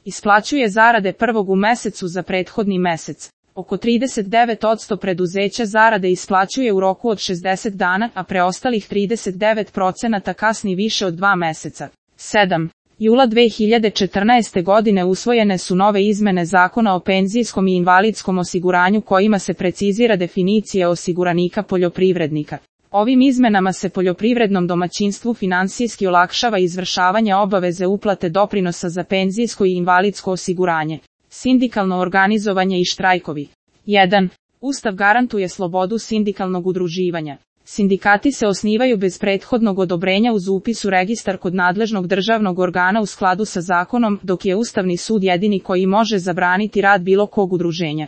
Isplaćuje zarade prvog u mesecu za prethodni mesec. Oko 39% preduzeća zarade isplaćuje u roku od 60 dana, a preostalih 39% kasni više od 2 meseca. 7. Jula 2014. godine usvojene su nove izmene Zakona o penzijskom i invalidskom osiguranju kojima se precizira definicija osiguranika poljoprivrednika. Ovim izmenama se poljoprivrednom domaćinstvu finansijski olakšava izvršavanje obaveze uplate doprinosa za penzijsko i invalidsko osiguranje. Sindikalno organizovanje i štrajkovi. 1. Ustav garantuje slobodu sindikalnog udruživanja. Sindikati se osnivaju bez prethodnog odobrenja uz upis u registar kod nadležnog državnog organa u skladu sa zakonom, dok je Ustavni sud jedini koji može zabraniti rad bilo kog udruženja.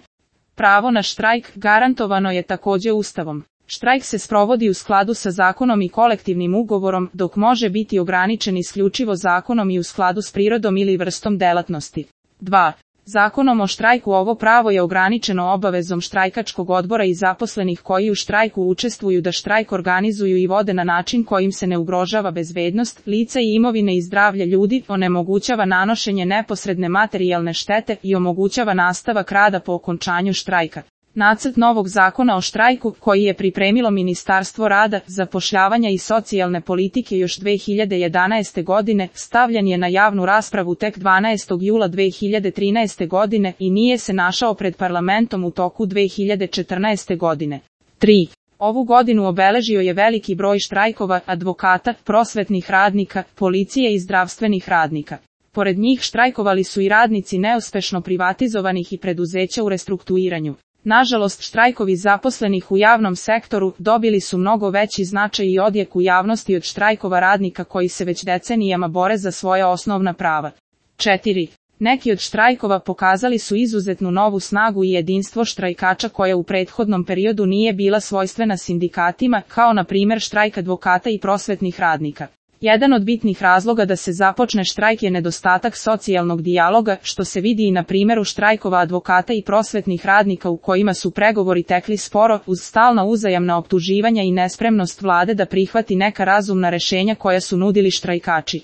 Pravo na štrajk garantovano je takođe Ustavom. Štrajk se sprovodi u skladu sa zakonom i kolektivnim ugovorom, dok može biti ograničen isključivo zakonom i u skladu s prirodom ili vrstom delatnosti. 2. Zakonom o štrajku ovo pravo je ograničeno obavezom štrajkačkog odbora i zaposlenih koji u štrajku učestvuju da štrajk organizuju i vode na način kojim se ne ugrožava bezbednost lica i imovine i zdravlje ljudi, onemogućava nanošenje neposredne materijalne štete i omogućava nastavak rada po okončanju štrajka. Nacrt novog zakona o štrajku, koji je pripremilo Ministarstvo rada, zapošljavanja i socijalne politike još 2011. godine, stavljen je na javnu raspravu tek 12. jula 2013. godine i nije se našao pred parlamentom u toku 2014. godine. 3. Ovu godinu obeležio je veliki broj štrajkova advokata, prosvetnih radnika, policije i zdravstvenih radnika. Pored njih štrajkovali su i radnici neuspešno privatizovanih i preduzeća u restrukturiranju. Nažalost, štrajkovi zaposlenih u javnom sektoru dobili su mnogo veći značaj i odjek u javnosti od štrajkova radnika koji se već decenijama bore za svoja osnovna prava. 4. Neki od štrajkova pokazali su izuzetnu novu snagu i jedinstvo štrajkača koja u prethodnom periodu nije bila svojstvena sindikatima, kao na primjer štrajk advokata i prosvetnih radnika. Jedan od bitnih razloga da se započne štrajk je nedostatak socijalnog dijaloga, što se vidi i na primjeru štrajkova advokata i prosvetnih radnika u kojima su pregovori tekli sporo, uz stalna uzajamna optuživanja i nespremnost vlade da prihvati neka razumna rešenja koja su nudili štrajkači.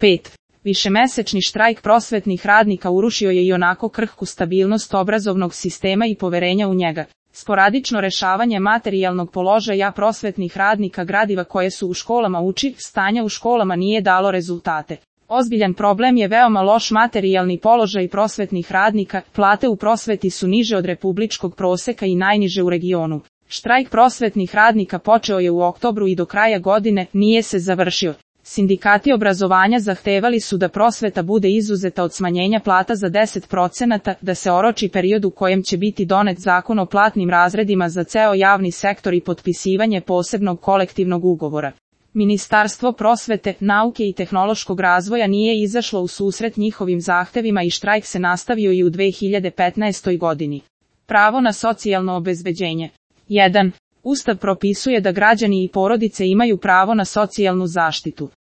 5. Višemesečni štrajk prosvetnih radnika urušio je i onako krhku stabilnost obrazovnog sistema i poverenja u njega. Sporadično rešavanje materijalnog položaja prosvetnih radnika gradiva koje su u školama uči, stanja u školama nije dalo rezultate. Ozbiljan problem je veoma loš materijalni položaj prosvetnih radnika, plate u prosveti su niže od republičkog proseka i najniže u regionu. Štrajk prosvetnih radnika počeo je u oktobru i do kraja godine nije se završio. Sindikati obrazovanja zahtevali su da prosveta bude izuzeta od smanjenja plata za 10%, da se oroči period u kojem će biti donet zakon o platnim razredima za ceo javni sektor i potpisivanje posebnog kolektivnog ugovora. Ministarstvo prosvete, nauke i tehnološkog razvoja nije izašlo u susret njihovim zahtevima i štrajk se nastavio i u 2015. godini. Pravo na socijalno obezbeđenje. 1. Ustav propisuje da građani i porodice imaju pravo na socijalnu zaštitu.